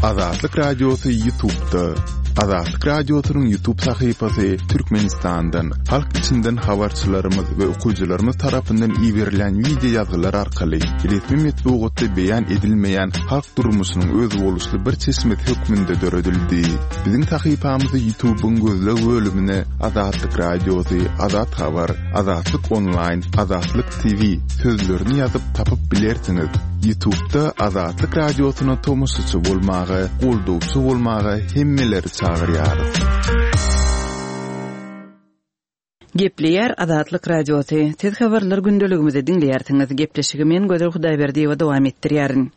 Azatlyk Radiosy Ýutubda. Azatlyk Radiosynyň Ýutub sahypasy Türkmenistandan, halk içinden habarçylarymyz we okyjylarymyz tarapyndan iberilýän wideo ýazgylar arkaly resmi metbugatda beýan edilmeýän halk durmuşynyň özboluşly bir çeşmesi hökmünde döredildi. Biziň sahypamyzy Ýutubyň gözleg bölümine Azatlyk Radiosy, Azat Habar, Azatlyk Onlaýn, Azatlyk TV sözlerini ýazyp tapyp bilersiňiz. Ýutubda Azatlyk Radiosyna tomaşaçy bolmaga, goldawçy bolmaga hemmeleri çagyrýarys. Gepleýär Azatlyk Radiosy, Siz habarlar gündeligimizi diňleýärsiňiz. Gepleşigi men Gözel Hudaýberdiýewa dowam etdirýärin.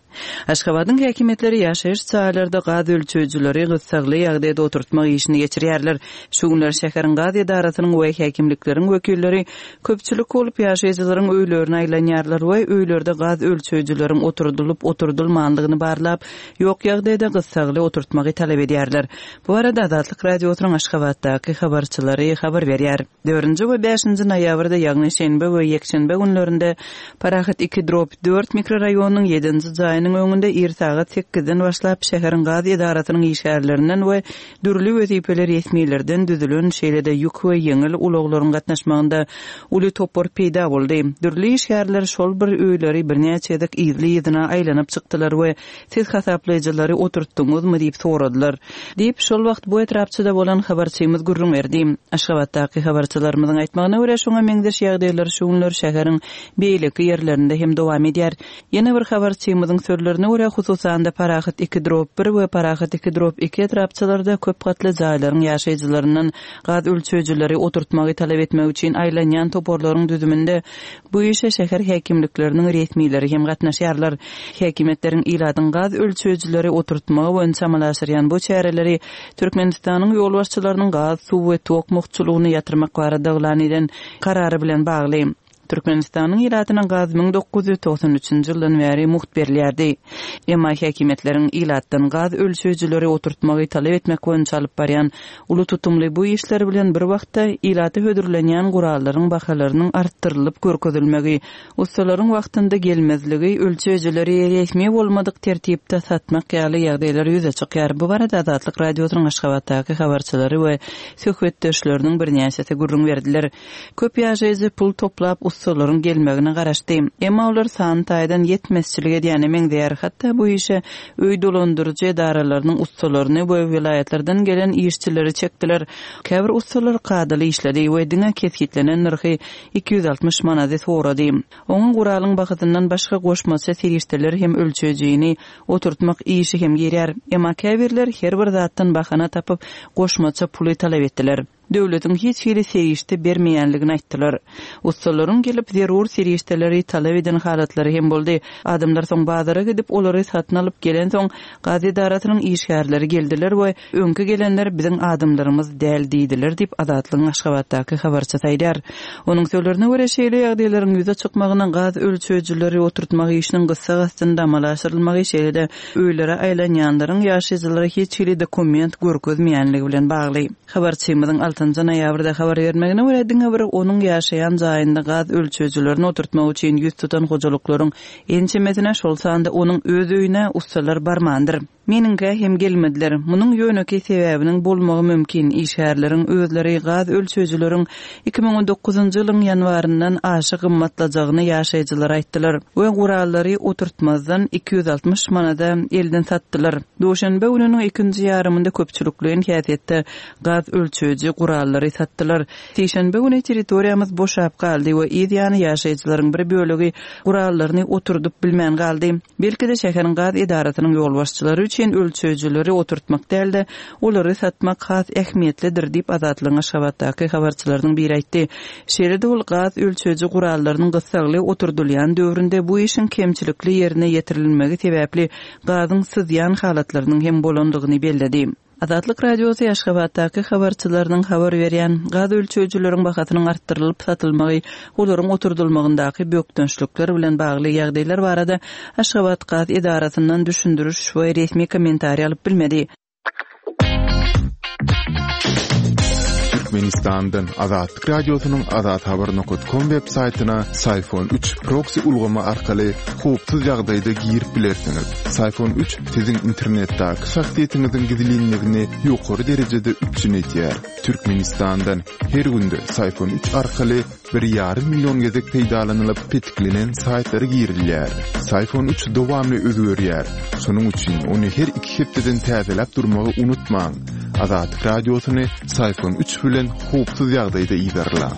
Aşgabadyň häkimiýetleri ýaşaýyş jaýlarda gaz ölçeýjileri gyssagly ýagdaýda oturtmak işini geçirýärler. Şu günler şäheriň gaz edarasynyň we häkimlikleriň wekilleri köpçülik bolup ýaşaýjylaryň öýlerine aýlanýarlar we öýlerde gaz ölçeýjileriň oturdylyp-oturdylmanlygyny barlap, ýok ýagdaýda gyssagly oturtmagy talap edýärler. Bu barada Azatlyk Radiosynyň Aşgabatdaky habarçylary habar berýär. Dördünji we bäşinji noýabrda, ýagny şenbe we ýekşenbe günlerinde Parahat iki drop dört mikroraýonynyň ýedinji jaýynyň öňünde ir sagat sekizden başlap şäheriň gaz edarasynyň işgärlerinden we dürli wezipeli resmilerden düzülen, şeýle-de ýük we ýeňil ulaglaryň gatnaşmagynda uly topar peýda boldy. Dürli işgärler şol bir öýleri birnäçe gezek yzly-yzyna aýlanyp çykdylar we Siz hasaplaýjylary oturtdyňyzmy diýip soradylar. Diýip, şol wagt bu etrapçada bolan habarçymyz gürrüň berdi. Aşgabatdaky habarçylarymyzyň aýtmagyna görä, şuňa meňzeş ýagdaýlar şu günler şäheriň beýleki ýerlerinde hem dowam edýär. Ýene bir habarçymyzyň sözlerine görä, hususan-da Parahat iki drop bir we Parahat iki drop iki etrapçalarda köp gatly jaýlaryň ýaşaýjylaryndan gaz ölçeýjileri oturtmagy talap etmek üçin aýlanýan toparlaryň düzüminde Bu işe şäher häkimlikleriniň resmileri hem gatnaşýarlar. Häkimiýetleriň ilatyň gaz ölçeýjileri oturtmagy boýunça amala aşyrýan bu çäreleri Türkmenistanyň ýolbaşçylarynyň gaz, suw we tok mugtçulygyny ýatyrmak barada yglan eden karary bilen bagly. Türkmenistanyň ilatyna gaz 1993-nji ýyldan bäri mugt berilýärdi. Emma häkimiýetleriň ilatdan gaz ölçeýjileri oturtmagy talap etmek boýunça alyp barýan Uly tutumly bu işler bilen bir wagtda, ilata hödürlenýän gurallaryň bahalarynyň artdyrylyp görkezilmegi, ussalaryň wagtynda gelmezligi, ölçeýjileri resmi bolmadyk tertipde satmak ýaly ýagdaýlar ýüze çykýar. Bu barada Azatlyk Radiosynyň Aşgabatdaky habarçylary we söhbetdeşleriniň birnäçesi gürrüň berdiler. Köp ýaşaýjy pul toplap ussalaryň gelmegine garaşdy. Emma olar san taýdan ýetmezçilik edýäne meňzeýär. Hatda bu işe öý dolandyryjy edaralarynyň ussalaryny we welaýatlardan gelen işçileri çekdiler. Käbir ussalar kadaly işledi we diňe kesgitlenen nyrhy, 260 manady sorady. Oňa guralyň bahasyndan başga goşmaça serişdeler hem ölçeýjini oturtmak işi hem girýär. Emma käbirler her bir zatdan bahana tapyp, goşmaça puly talap etdiler. Döwletiň hiç hili serişde bermeýänligini aýtdylar. Ussalaryň gelip, zerur serişdeleri talap eden halatlary hem boldy. Adamlar soň bazara gidip, olary satyn alyp gelensoň, gaz edarasynyň işgärleri geldiler we öňki gelenler biziň adamlarymyz däl diýdiler diýip, Azatlygyň Aşgabatdaky habarçysy aýdýar. Onuň sözlerine görä, şeýle ýagdaýlaryň ýüze çykmagyna gaz ölçeýjileri oturtmak işiniň gyssag astynda amala aşyrylmagy, şeýle-de öýlere aýlanýanlaryň ýaşaýjylara hiç hili dokument görkezmeýänligi bilen bagly. Habarçymyzyň altynjy noýabrda habar bermegine görä, diňe bir onuň ýaşaýan jaýynda gaz ölçeýjilerini oturtmak üçin ýüz tutan hojalyklaryň ençemesine, şol sanda onuň öz öýüne ussalar barmandyr. Meniňkä hem gelmediler. Munuň ýönekeý sebäbiniň bolmagy mümkin, işgärleriň özleri gaz ölçeýjileriň 2019-njy ýylyň ýanwaryndan aşa gymmatlajagyny ýaşaýjylara aýtdylar we gurallary oturtmazdan 260 manada elden satdylar. Duşenbe gününiň ikinji ýarymynda köpçülikleýin häsiýetde gaz ölçeýji gurallary satdylar. Sişenbe güni territoriýamyz boşap galdy we yz ýany ýaşaýjylaryň bir bölegi gurallaryny oturdyp bilmän galdy. Belki-de şäheriň gaz edarasynyň ýolbaşçylary üçin ölçeýjileri oturtmak däl-de, olary satmak has ähmiýetlidir diýip, Azatlygyň Aşgabatdaky habarçylarynyň biri aýtdy. Şeýle-de ol gaz ölçeýji gurallarynyň gyssagly oturdylýan döwründe bu işiň kemçilikli ýerine ýetirilmegi sebäpli gazyň syzýan halatlarynyň hem bolandygyny belledi. Azatlyk Radiosy Aşgabatdaky habarçylarynyň habar berýän gaz ölçeýjileriň bahasynyň artdyrylyp satylmagy, olaryň oturdylmagyndaky bökdençlikler bilen bagly ýagdaýlar barada Aşgabatgaz edarasyndan düşündiriş we resmi kommentariý alyp bilmedi. Türkmenistandan Azatlyk Radiosynyň azathabar nokat kom web saýtyna Syfon üç proksi ulgamy arkaly howpsuz ýagdaýda girip bilersiňiz. Syfon üç siziň internetdäki şahsyýetiňiziň gizlinligini ýokary derejede üpjün edýär. Türkmenistandan her günde Syfon üç arkaly bir ýarym million gezek peýdalanylyp petiklenen saýtlara girilýär. Syfon üç dowamly özgerýär. Şonuň üçin ony her iki hepdeden täzeläp durmagy unutmaň. Azatlyk Radiosyny Syfon üç bilen howpsuz ýagdaýda yzarlaň.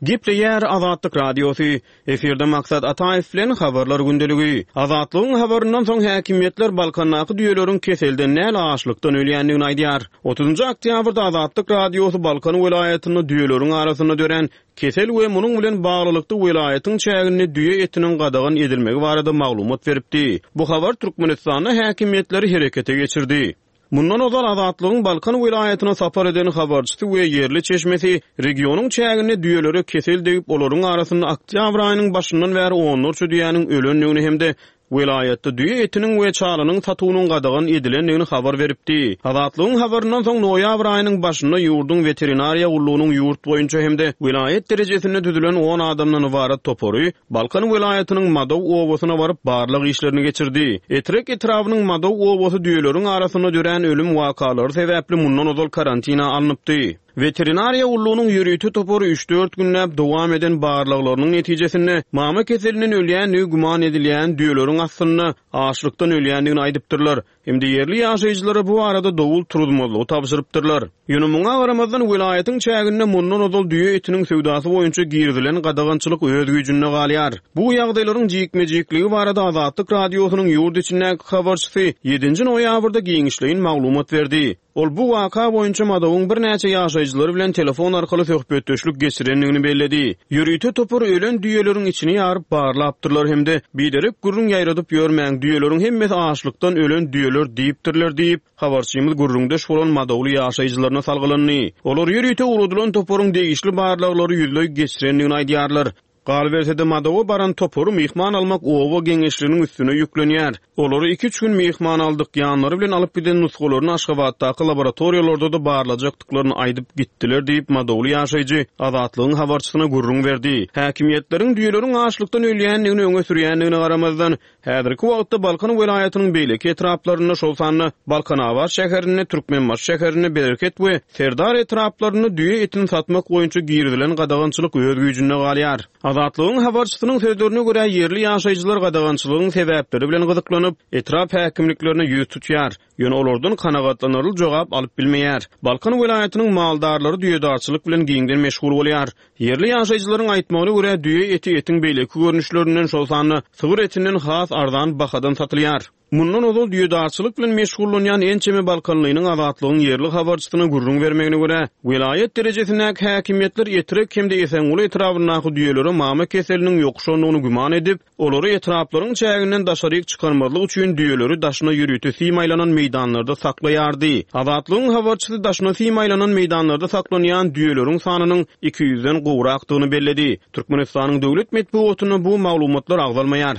Gepleýär Azatlyk Radiosy. Efirde Maksat Ataýew bilen Habarlar gündeligi. Azatlygyň habaryndan soň häkimiýetler Balkandaky düýeleriň keselden däl, açlykdan ölýändigini aýdýar. Otuzynjy oktýabrda Azatlyk Radiosy Balkan welaýatynda düýeleriň arasynda dörän kesel we munuň bilen baglylykda welaýatyň çäginde düýe etiniň gadagan edilmegi barada maglumat beripdi. Bu habar Türkmenistanda häkimiýetleri herekete geçirdi. Mundan ozal Azatlygyň Balkan welaýatyna sapar eden habarçysy we ýerli çeşmesi regionyň çäginde düýelere kesel degip, olaryň arasynda oktýabr aýynyň başyndan bäri onlarça düýäniň ölendigini hem-de welaýatda düýe etiniň we çalynyň satuwynyň gadagan edilendigini habar beripdi. Azatlygyň habaryndan soň noýabr aýynyň başynda ýurduň Weterinariýa gullugynyň ýurt boýunça hem-de welaýat derejesinde düzülen on adamdan ybarat topary Balkan welaýatynyň Madaw obasyna baryp, barlag işlerini geçirdi. Etrek etrabynyň Madaw obasy düýeleriň arasynda dörän ölüm wakalary sebäpli mundan ozal karantina alnypdy. Weterinariýa gullugynyň ýörite topary üç-dört günläp dowam eden barlaglarynyň netijesinde, mama keselinden ölýändigi güman edilýän düýeleriň aslynda açlykdan ölýändigini aýdypdyrlar. Hem-de ýerli ýaşaýjylara bu barada dowul turuzmazlygy tabşyrypdyrlar. Ýöne muňa garamazdan, welaýatyň çäginde mundan ozal düýe etiniň söwdasy boýunça girizilen gadagançylyk öz güýjünde galýar. Bu ýagdaýlaryň jikme-jikligi barada Azatlyk Radiosynyň ýurt içindäki habarçysy ýedinji noýabrda giňişleýin maglumat berdi. Ol bu waka boýunça Madawyň birnäçe ýaşaýjylary bilen telefon arkaly söhbetdeşlik geçirendigini belledi. Ýörite topar ölen düýeleriň içini ýaryp barlapdyrlar hem-de Biderek gürrüň ýaýradyp ýörmäň, düýeleriň hemmesi açlykdan ölen düýeler diýipdirler diýip, habarçymyz gürrüňdeş bolan madawly ýaşaýjylaryna salgylandy. Olar ýörite ugradylan toparyň degişli barlaglary ýüzleý geçirendigini aýdýarlar. Galyberse-de, Madawa baran topary myhman almak oba geňeşliginiň üstüne ýüklenýär. Olary iki-üç gün myhman aldyk, ýanlary bilen alyp giden nusgalaryny Aşgabatdaky laboratoriýalarda-da barlajakdyklaryny aýdyp gitdiler diýip, madawly ýaşaýjy Azatlygyň habarçysyna gürrüň berdi. Häkimiýetleriň düýeleriň açlykdan ölýändigini öňe sürýändigine garamazdan, Häzirki wagtda Balkan welaýatynyň beýleki etraplarynda, şol sanda Balkanabat şäherinde, Türkmenbaşy şäherinde, Bereket we Serdar etraplarynda düýe etini satmak boýunça girizilen gadagançylyk öz güýjünde galýar. Azatlygyň habarçysynyň sözlerine görä, ýerli ýaşaýjylar gadagançylygyň sebäpleri bilen gyzyklanyp, etrap häkimliklerine ýüz tutýar. Ýöne olardan kanagatlanarly jogap alyp bilmeýär. Balkan welaýatynyň maldarlary düýedarçylyk bilen giňden meşgul bolýar. Ýerli ýaşaýjylaryň aýtmagyna görä, düýe eti etiň beýleki görnüşlerinden, şol sanda sygyr etinden has arzan bahadan satylýar. Mundan ozal düýedarçylyk bilen meşgullanýan ençeme balkanlynyň Azatlygyň ýerli habarçysyna gürrüň bermegine görä, welaýat derejesindäki häkimiýetler Etrek hem-de Esenguly etrabyndaky düýelere mama keseliniň ýokuşandygyny güman edip, Olary etraplaryň çäginden daşaryk çykarmazlyk üçin düýeleri daşyna ýörite sim aýlanan meýdanlarda saklaýardy. Azatlygyň habarçysy daşyna sim aýlanan meýdanlarda saklanýan düýeleriň sanynyň 200-den gowrakdygyny belledi. Türkmenistanyň döwlet metbugatynda bu maglumatlar agzalmaýar.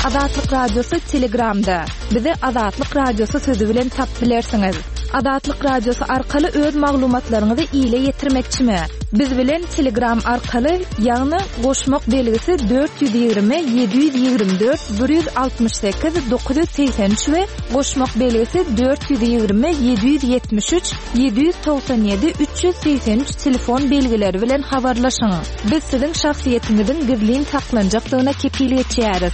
Azatlyk Radiosy Telegramda. Bizi Azatlyk Radiosy sözi bilen tapyp bilersiňiz. Azatlyk Radiosy arkaly öz maglumatlaryňyzy ile ýetirmekçimi? Biz bilen Telegram arkaly, ýagny goşmak belgisi 420 724 168 983 we goşmak belgisi 420 773 797 383 telefon belgileri bilen habarlaşyň. Biz siziň şahsyýetiňiziň gizlin saklanjakdygyna kepil geçýäris.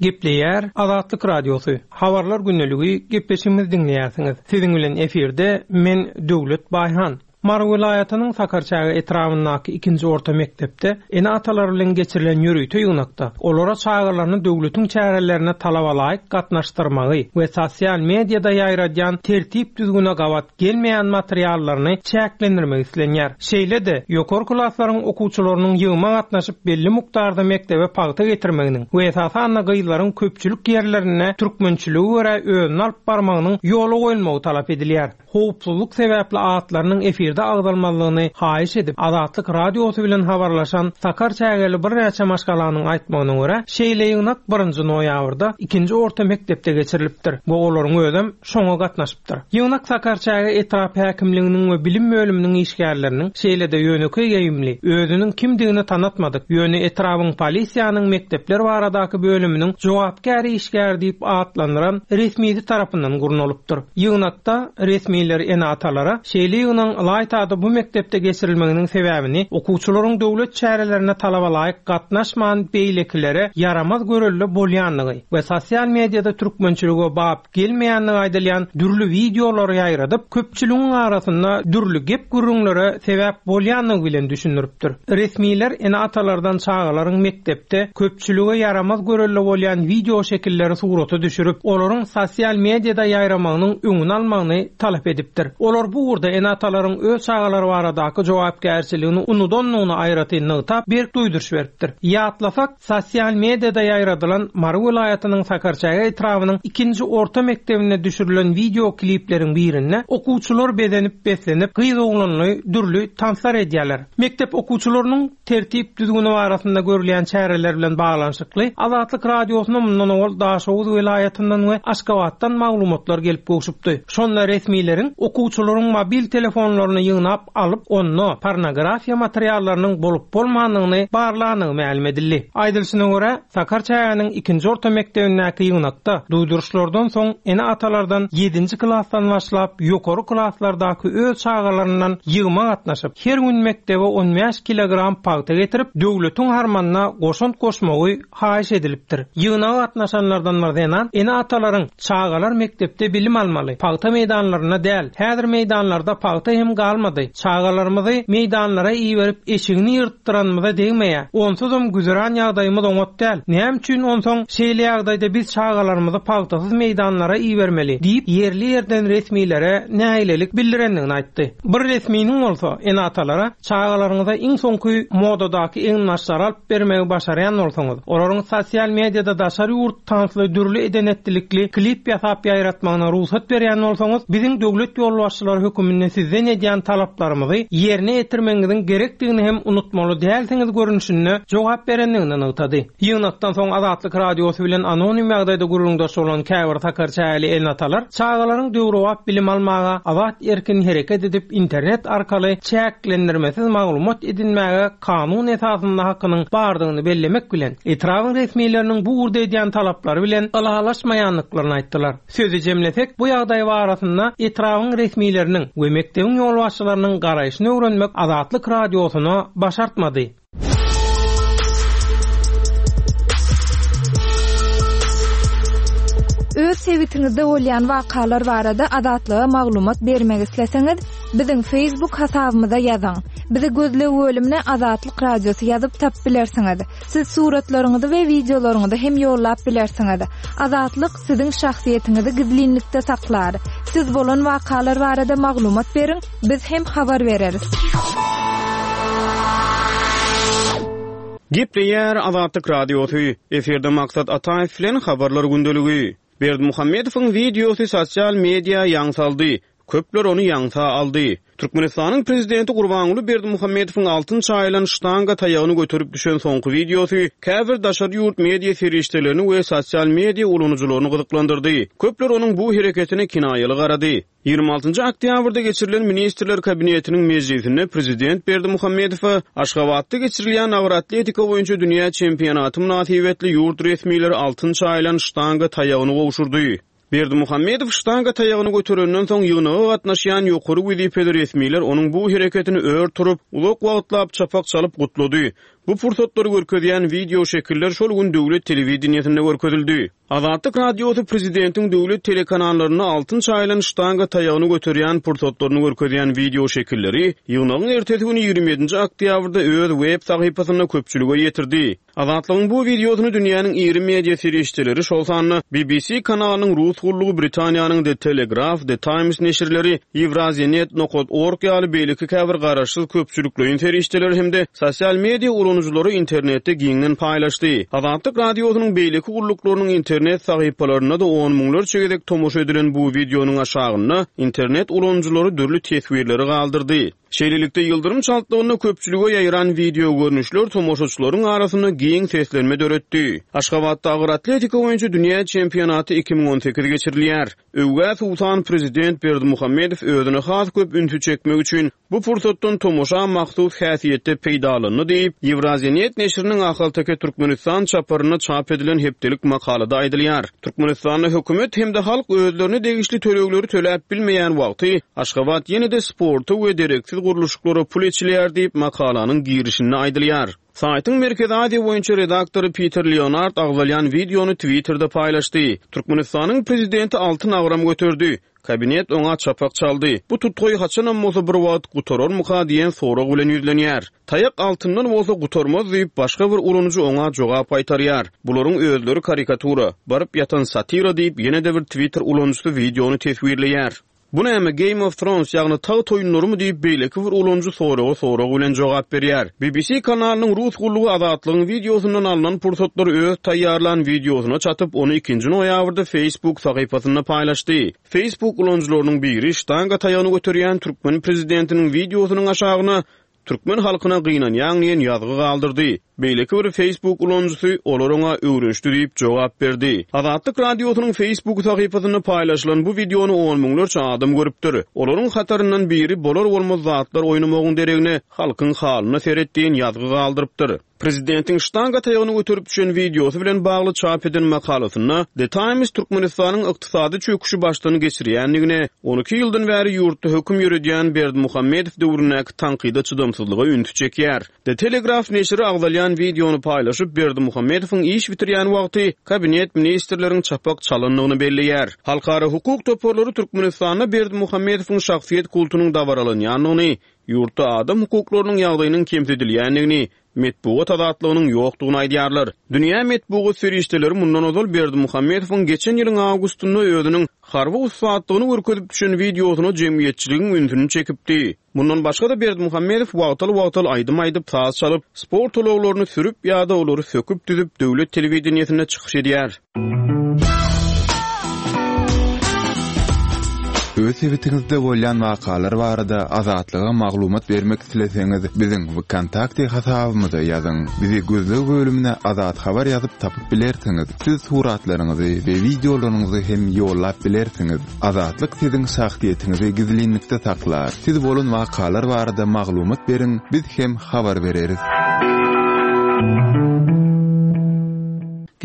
Gepleýär Azatlyk Radiosy, Habarlar gündeligi gepleşigimizi diňleýärsiňiz. Siziň bilen efirde men Döwlet Baýhan. Mary welaýatynyň Sakarçäge etrabyndaky ikinji orta mekdepde ene-atalar bilen geçirilen ýörite ýygnakda olara çagalaryny döwletiň çärelerine talabalaýyk gatnaşdyrmagy we sosial mediada ýaýradýan tertip-düzgüne gabat gelmeýän materiallaryny çäklendirmek islenýär. Şeýle-de, ýokary klaslaryň okuwçylarynyň ýygyma gatnaşyp belli mukdarda mekdebe pagta getirmeginiň we esasanda gyzlaryň köpçülik ýerlerinde türkmençilige görä özüni alyp barmagynyň ýola goýulmagy talap edilýär. Howpsuzlyk sebäpli atlarynyň efirde agzalmazlygyny haýyş edip, Azatlyk Radiosy bilen habarlaşan sakarçägeli birnäçe maşgalanyň aýtmagyna görä, şeýle ýygnak birinji noýabrda ikinji orta mekdepde geçirilipdir we olaryň özem şoňa gatnaşypdyr. Ýygnak Sakarçäge etrap häkimliginiň we bilim bölüminiň işgärleriniň, şeýle-de ýönekeý geýimli, özüniň kimdigini tanatmadyk, ýöne etrabyň polisiýanyň mekdepler baradaky bölüminiň jogapkär işgäri diýip atlandyran resmisi tarapyndan gurnalypdyr. Ýygnakda resmiler ene-atalara şeýle ýygnagyň ylaýta-da bu mekdepde geçirilmeginiň sebäbini okuwçylaryň döwlet çärelerine talabalaýyk gatnaşman beýlekilere ýaramaz görelde bolýandygy we sosial mediada türkmençilige bap gelmeýändigi aýdylýan dürli wideolary ýaýradyp, köpçüligiň arasynda dürli gep-gürrüňlere sebäp bolýandygy bilen düşündiripdir. Resmiler ene-atalardan çagalaryň mekdepde köpçülige ýaramaz görelde bolýan wideoşekilleri surata düşürip, olaryň sosial mediada ýaýramagynyň öňüni almagyny talap edipdir. Olar bu ugurda ene-atalaryň öz çagalary baradaky jogapkärçiligini unudandygyny aýratyn nygtap, berk duýduryş beripdir. Ýatlasak, Sosial mediada ýaýradylan Mary welaýatynyň Sakarçäge etrabynyň ikinji orta mekdebinde düşürilen wideo klipleriň birinde okuwçylar bezenip-beslenip, gyz-oglanly dürli tanslar edýärler. Mekdep okuwçylarynyň tertip-düzgüni barasynda görülýän çäreler bilen baglanyşykly Azatlyk Radiosyna mundan owal Daşoguz welaýatyndan we Aşgabatdan maglumatlar gelip gowşupdy. Şonda resmileriň okuwçylaryň mobil telefonlaryny ýygnap alyp, onda pornografiýa materiallarynyň bolup-bolmandygyny barlandygy mälim edildi. Aýdylyşyna görä, Sakarçägäniň ikinji orta mekdebindäki ýygnakda duýduryşlardan soň ene-atalardan ýedinji klasdan başlap ýokary klaslardaky öz çagalaryndan ýygyma gatnaşyp, her gün mekdebe on bäş kilogram pagta getirip, döwletiň harmanyna goşant goşmagy haýyş edilipdir. Ýygnaga gatnaşanlardan bir zenan ene-atalaryň Çagalar mekdepde bilim almaly, pagta meýdanlarynda däl. Häzir meýdanlarda pagta hem galmady. Çagalarymyzy meýdanlara iberip eşigini ýyrtdyranymyza degmeýär. Onsuzam güzeran ýagdaýymyz oňat däl. Näme üçin onsoň şeýle ýagdaýda biz çagalarymyzy pagtasyz meýdanlara ibermeli? diýip, ýerli-ýerden resmilere nägilelik bildirendigini aýtdy. Bir resminiň bolsa ene-atalara Çagalaryňyza iň soňky modadaky eginbaşlary alyp bermegi başarýan bolsaňyz, olaryň sosial mediada daşary ýurt tansly dürli eden-etdilikli klip ýasap ýaýratmagyna rugsat berýän bolsaňyz, biziň döwlet ýolbaşçylary höküminde sizden edýän talaplarymyzy ýerine ýetirmegiňiziň gerekdigini hem unutmaly dälsiňiz görnüşinde jogap berendigini nygtady. Ýygnakdan soň Azatlyk Radiosy bilen anonim ýagdaýda gürrüňdeş bolan käbir sakarçägeli ene-atalar çagalaryň döwrebap bilim almaga, azat-erkin hereket edip internet arkaly çäklendirmesiz maglumat edinmäge kanun esasynda hakynyň bardygyny bellemek bilen, etrabyň resmileriniň bu ugurda edýän talaplary bilen ylalaşmaýandyklaryny aýtdylar. Sözi jemlesek, bu ýagdaý barasynda etrabyň resmileriniň we mekdebiň ýolbaşçylarynyň garaýşyny öwrenmek Azatlyk Radiosyna başartmady. Öz sebitiňizde bolýan wakalar barada Azatlyga maglumat bermek isleseňiz, biziň Facebook hasabymyza ýazyň. Bizi gözleg bölümine Azatlyk Radiosy ýazyp tapyp bilersiňiz. Siz suratlaryňyzy we wideolaryňyzy hem ýollap bilersiňiz. Azatlyk siziň şahsyýetiňizi gizlinlikde saklar. Siz bolan wakalar barada maglumat beriň, biz hem habar bereris. Gepleýär Azatlyk Radiosy, efirde Maksat Ataýew bilen Habarlar gündeligi. Berdimuhamedowyň wideosy sosial media ýaň saldy. Köpler ony ýaňsa aldy. Türkmenistanyň prezidenti Gurbanguly Berdimuhamedowyň altyn çaýylan ştanga taýagyny göterip düşen soňky wideosy käbir daşary ýurt media serişdelerini we sosial media ulanyjylaryny gyzyklandyrdy. Köpler onuň bu hereketine kinaýaly garady. 26-njy oktýabrda geçirilen Ministrler Kabinetiniň mejlisinde prezident Berdimuhamedowa Aşgabatda geçirilýän agyr atletika boýunça dünýä çempionaty mynasybetli ýurt resmileri altyn çaýylan ştanga taýagyny gowşurdy. Berdimuhamedow ştanga taýagyny göterenden soň, ýygnaga gatnaşýan ýokary wezipeli resmiler onuň bu hereketini ör turup, uzak wagtlap çapak çalyp gutlady. Bu pursatlary görkezýän wideoşekiller şol gün döwlet telewideniýesinde görkezildi. Azatlyk Radiosy prezidentiň döwlet telekanallarynda altyn çaýylan ştanga taýagyny göterýän pursatlaryny görkezýän wideoşekilleri ýygnagyň ertesi güni 27-nji oktýabrda öz web sahypasynda köpçülige ýetirdi. Azatlygyň bu wideosyny dünýäniň iri media serişdeleri, şol sanda BBC kanalynyň rus gullugy, Britaniýanyň The Telegraph, The Times neşirleri, Eurasianet nokat org ýaly beýleki käbir garaşsyz köpçülikleýin serişdeler hem-de sosial media ulanyjylary. ulanyjylary internetde giňden paýlaşdy. Azatlyk Radiosynyň beýleki gulluklarynyň internet sahypalarynda-da on müňlerçe gezek tomaşa edilen bu wideonyň aşagynda internet ulanyjylary dürli teswirleri galdyrdy. Şeýlelikde, ýyldyrym çaltlygynda köpçülige ýaýran wideogörnüşler tomaşaçylaryň arasynda giň seslenme döretdi. Aşgabatda agyr atletika boýunça dünýä çempionaty 2018 geçirilýär. Öwgä suwsan prezident Berdimuhamedow özüne has köp ünsi çekmek üçin bu pursatdan tomaşa mahsus häsiýetde peýdalandy diýip, Ýewraziýanet neşiriniň Ahalteke Türkmenistan çaparynda çap edilen hepdelik makalada aýdylýar. Türkmenistanda hökümet hem-de halk özlerine degişli tölegleri töläp bilmeýän wagty, Aşgabat ýene-de sporta we dereksiz gurluşyklara pul eçilýär diýip, makalanyň girişinde aýdylýar. Saýtyň Merkezi Aziýa boýunça redaktory Piter Leonard agzalýan wideony Twitterde paýlaşdy. Türkmenistanyň prezidenti altyn agram göterdi. Kabinet oňa çapak çaldy. Bu tutgaý haçanam bolsa bir wagt gutararmyka diýen sorag bilen ýüzlenýär. Taýak altyndan bolsa gutarmaz diýip, başga bir ulanyjy oňa jogap gaýtarýar. Bularyň özleri karikatura, baryp ýatan satira diýip, ýene-de bir Twitter ulanyjysy wideony teswirleýär. Bu näme, Game of Thrones, ýagny Tagt oýunlarymy diýip, beýleki bir ulanyjy soraga sorag bilen jogap berýär. BBC kanalynyň rus gullugy Azatlygyň wideosyndan alnan pursatlary öz taýýarlan wideosyna çatyp, ony ikinji noýabrda Facebook sahypasynda paýlaşdy. Facebook ulanyjylarynyň biri ştanga taýagyny göterýän türkmen prezidentiniň wideosynyň aşagyna Türkmen halkyna gynanýaň diýen ýazgy galdyrdy. Beýleki bir Facebook ulanyjysy olar oňa öwrenişdi diýip jogap berdi. Azatlyk Radiosynyň Facebook sahypasynda paýlaşylan bu wideony on müňlerçe adam görüpdir. Olaryň hataryndan biri bolar-bolmaz zatlar oýnamagyň deregine halkyň halyna seret diýen ýazgy galdyrypdyr. Prezidentiň ştanga taýagyny göterip düşen wideosy bilen bagly çap eden makalasynda The Times Türkmenistanyň ykdysady çöküşi başdan geçirýändigine, 12 ýyldan bäri ýurtda höküm ýöredýän Berdimuhamedow döwründäki tankyda çydamsyzlyga ünsi çekýär. The Telegraph neşiri agzalýan wideony paýlaşyp, Berdimuhamedowyň iş bitirýän wagty kabinet ministrleriň çapak çalandygyny belleýär. Halkara hukuk toparlary Türkmenistanda Berdimuhamedowyň şahsyýet kultunyň dabaralanýandygyny, Ýurtda adam hukuklarynyň ýagdaýynyň kemsidilýändigini, metbugat azatlygynyň ýokdugyny aýdýarlar. Dünýä metbugat serişdeleri mundan ozal Berdimuhamedowyň geçen ýylyň awgustynda özüniň harby ussatlygyny görkezip düşen wideosyna jemgyýetçiligiň ünsüni çekipdi. Mundan başga-da Berdimuhamedow wagtal-wagtal aýdym aýdyp, saz çalyp, sport ulaglaryny sürüp ýa-da olary söküp-düzüp döwlet telewideniýesinde çykyş edýär. Öz sebitiňizde bolýan wakalar barada Azatlyga maglumat bermek isleseňiz, biziň Wkontakte hasabymyza ýazyň. Bizi gözleg bölümine Azat Habar ýazyp tapyp bilersiňiz. Siz suratlaryňyzy we wideolaryňyzy hem ýollap bilersiňiz. Azatlyk siziň şahsyýetiňizi gizlinlikde saklar. Siz bolan wakalar barada maglumat beriň, biz hem habar bereris.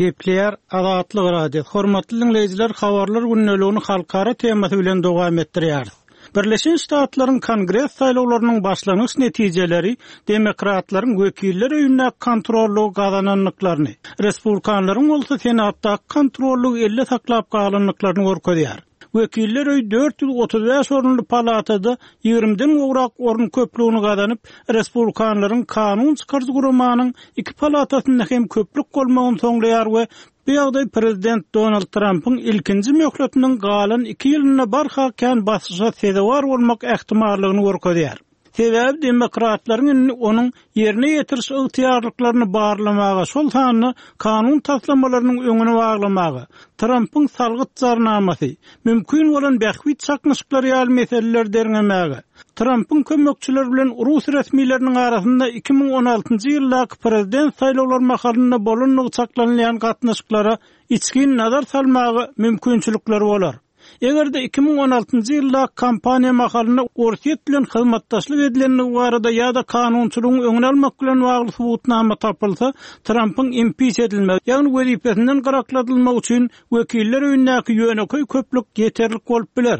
Gepleýär Azatlyk Radiosy. Hormatly diňleýjiler, habarlar gündeligini halkara temasy bilen dowam etdirýäris. Birleşen Ştatlaryň Kongres saýlawlarynyň başlangyç netijeleri demokratlaryň Wekiller öýündäki kontrollygy gazanandyklaryny, respublikanlaryň bolsa Senatdaky kontrollygy elde saklap galandyklaryny görkezýär. Wekiller öýi 435 orunly palatada ýigrimiden gowrak orun köplügini gazanyp, respublikanlaryň kanun çykaryjy guramanyň iki palatasynda hem köplük bolmagyny soňlaýar we bu ýagdaý prezident Donald Trampyň ilkinji möhletiniň galan iki ýylynda barha kän basyşa sezewar bolmak ähtimallygyny görkezýär. Sebäbi demokratlaryň indi onuň ýerine ýetiriş ygtyýarlyklaryny barlamaga, şol sanda kanun taslamalarynyň öňüni baglamaga, Trampyň salgyt jarnamasy, mümkin bolan bähbit çaknyşyklary ýaly meseleleri derňemäge, Trampyň kömekçileri bilen rus resmileriniň arasynda 2016-njy ýyldaky prezident saýlawlary mahalynda bolandygy çaklanylýan gatnaşyklara içgin nazar salmaga mümkinçilikleri bolar. Eger-de 2016-njy ýylda kampaniýa mahalynda Orsýet bilen hyzmatdaşlyk edilendigi barada ýa-da kanunçylygyň öňüni almak bilen bagly subutnama tapylsa, Trampyň impiç edilmegi, ýagny wezipesinden gyrakladylmagy üçin Wekiller öýündäki ýönekeý köplük ýeterlik bolup biler.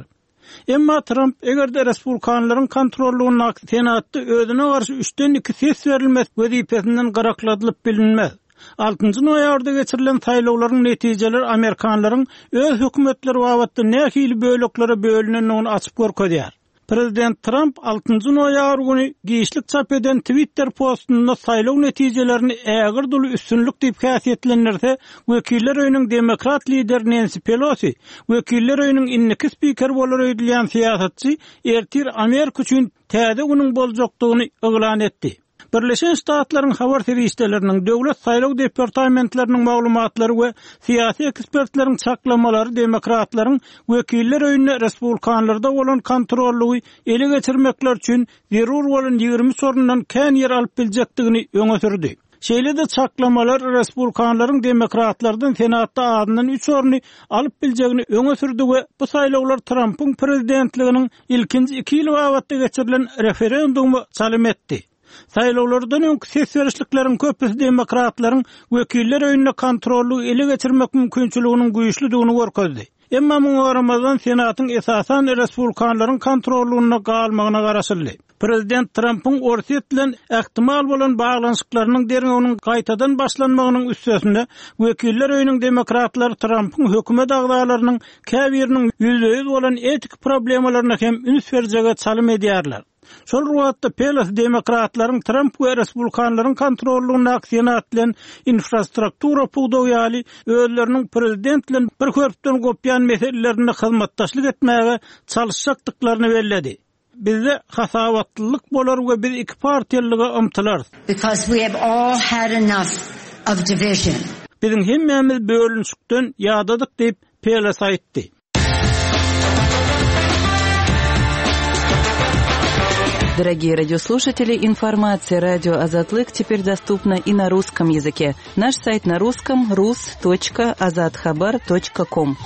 Emma Tramp, eger-de respublikanlaryň kontrollygyndaky Senatda özüne garşy üçden iki ses berilmese, wezipesinden gyrakladylyp bilinmez. Altynjy noýabrda geçirilen saýlawlaryň netijeleri amerikanlaryň öz hökümetleri babatda nähili böleklere bölünendigini açyp görkezýär. Prezident Tramp altynjy noýabr güni giçlik çap eden Twitter postunda saýlaw netijelerini ägirt uly üstünlik diýip häsiýetlendirse, Wekiller öýüniň demokrat lideri Nensi Pelosi, Wekiller öýüniň indiki spikeri bolar öýdülýän syýasatçy ertir Amerika üçin täze günüň boljakdygyny yglan etdi. Birleşen Ştatlaryň habar serişdeleriniň, döwlet saýlaw departamentleriniň maglumatlary we syýasy ekspertleriň çaklamalary demokratlaryň Wekiller öýünde respublikanlarda bolan kontrollygy ele geçirmekleri üçin zerur bolan 23 orundan kän ýer alyp biljekdigini öňe sürdi. Şeýle-de çaklamalar respublikanlaryň demokratlardan Senatda azyndan üç orny alyp biljegini öňe sürdi we bu saýlawlar Trampyň prezidentliginiň ilkinji iki ýyly babatda geçirilen referenduma çalym etdi. Saýlawlardan öňki ses berişlikleriň köpüsi demokratlaryň Wekiller öýünde kontrollygy ele geçirmek mümkinçiliginiň güýçlüdigini görkezdi. Emma muňa garamazdan, Senatyň esasan respublikanlaryň kontrollygynda galmagyna garaşyldy. Prezident Trampyň Orsýet bilen ähtimal bolan baglanyşyklarynyň derňewiniň gaýtadan başlanmagynyň üstesine, Wekiller öýüniň demokratlary Trampyň hökümet agzalarynyň käbiriniň ýüzbe-ýüz bolan etiki problemalaryna hem üns berjege çalym edýärler. Şol bir wagtda, Pelosi demokratlaryň Tramp we respublikanlaryň kontrollygyndaky Senat bilen infrastruktura pudagy ýaly özleriniň prezident bilen bir hörpden gopýan meselelerinde hyzmatdaşlyk etmäge çalyşjakdyklaryny belledi. Bizde hasabatlylyk bolar we biz iki partiýalylyga ymtylarys. Because we have all had enough of division. Biziň hemmämiz bölünişikden ýadadyk diýip, Pelosi aýtdy. Дорогие радиослушатели, информация радио Азатлык теперь доступна и на русском языке. Наш сайт на русском rus.azathabar.com.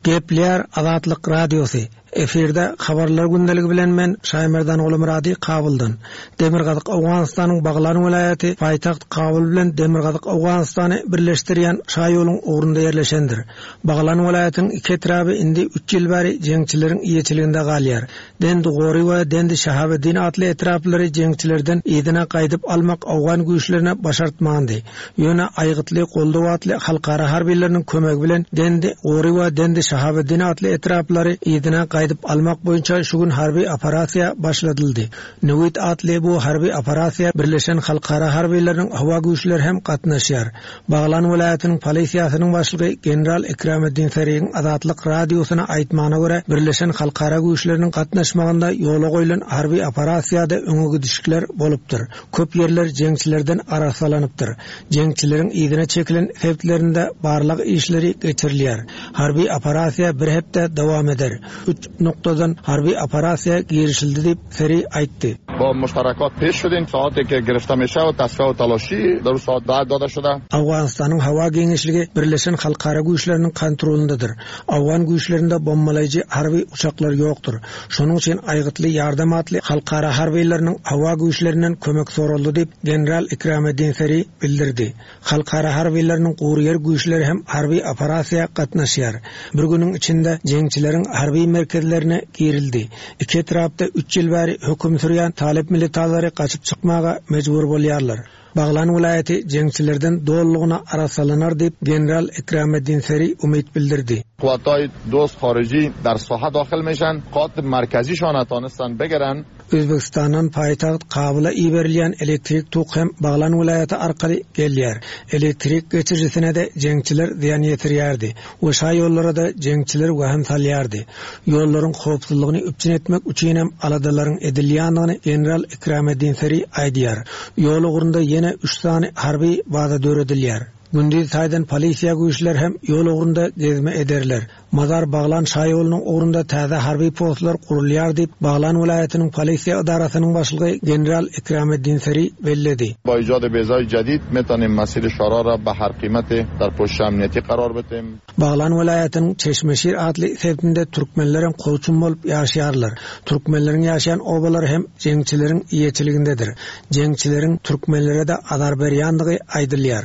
Gepleýär Azatlyk Radiosy, Efirde Habarlar gündeligi bilen men Şaýmerdan Gulumyrady Kabuldan. Demirgazyk Owganystanyň Baglan welaýaty paýtagt Kabul bilen Demirgazyk Owganystany birleşdirýän şaýoluň ugrunda ýerleşendir. Baglan welaýatynyň iki etraby indi üç ýyl bäri jeňçileriň eýeçiliginde galýar. Dendi Gori we Dendi Şahabeddin atly etraplary jeňçilerden yzyna gaýdyp almak owgan güýçlerine başartmandy. Ýöne Aýgytly goldaw atly halkara harbylarynyň kömegi bilen Dendi Gori we Dendi Şahabeddin atly etraplary yzyna gaýdyp almak boýunça şu gün harby operasiýa başladyldy. Newid atly bu harby operasiýa birleşen halkara harbylarynyň howa güýçleri hem gatnaşýar. Baglan welaýatynyň polisiýasynyň başlygy general Ikrameddin Serigiň Azatlyk Radiosyna aýtmagyna görä, birleşen halkara güýçleriniň gatnaşmagynda ýola goýlan harby operasiýada öňe gidişikler bolupdyr. Köp ýerler jeňçilerden arassalanypdyr. Jeňçileriň yzyna çekilen sebitlerinde barlag işleri geçirilýär. Harby operasiýa bir hepde dowam eder. Üç noktadan harby operasiýa girişildi diýip, Seri aýtdy. Ba muştarakat peş şudin saate ke girifte meşe tasfiye we talaşi der u saat dad dade şude. Owganystanyň howa giňişligi birleşen halkara güýçleriniň kontrolyndadyr. Owgan güýçlerinde bombalaýjy harby uçaklar ýokdur. Şonuň üçin Aýgytly ýardam atly halkara harbylarynyň howa güýçlerinden kömek soraldy diýip, general Ikrameddin Seri bildirdi. Halkara harbylarynyň gury ýer güýçleri hem harby operasiýa gatnaşýar. Bir günüň içinde jeňçileriň harby merkezlerine girildi. Iki etrapda üç ýyl bäri höküm sürýän talyp militalary gaçyp çykmaga mejbur bolýarlar. Baglan welaýaty jeňçilerden dolulygyna arassalanar diýip, general Ikrameddin Seri umyt bildirdi. Kuwwatay dost hariji dar saha daxil meşen, qat merkezi şana tanistan bigiren. Özbegistandan paýtagt Kabula iberilýän elektrik tok hem Baglan welaýaty arkaly gelýär. Elektrik geçirijisine-de jeňçiler zyýan ýetirýärdi we şaýollara-da jeňçiler wehim salýardy. Ýollaryň howpsuzlygyny üpjün etmek üçinem aladalaryň edilýändigini general Ikrameddin Seri aýdýar. Ýol ugrunda ýene üç sany harby baza döredilýär. Gündiz taýdan polisiýa güýçleri hem ýol ugrunda gezme ederler. Mazar-Baglan şaýolunyň ugrunda täze harby postlar gurulýar diýip, Baglan welaýatynyň polisiýa edarasynyň başlygy general Ikrameddin Seri belledi. Ba ijad bezay jadid metanim masir şara ra be her qimeti dar poşiş amniyeti qarar betim. Baglan welaýatynyň Çeşmeşir atly sebitinde türkmenlerem kowçum bolup ýaşaýarlar. Türkmenleriň ýaşaýan obalary hem jeňçileriň eýeçiligindedir. Jeňçileriň türkmenlere-de azar berýändigi aýdylýar.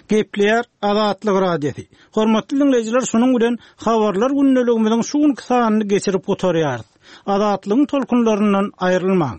Gepleýär Azatlyk Radiosy. Hormatly diňleýjiler, şunuň bilen Habarlar gündeligimiziň şu günki sanyny geçirip gutarýarys. Azatlygyň tolkunlaryndan aýrylmaň.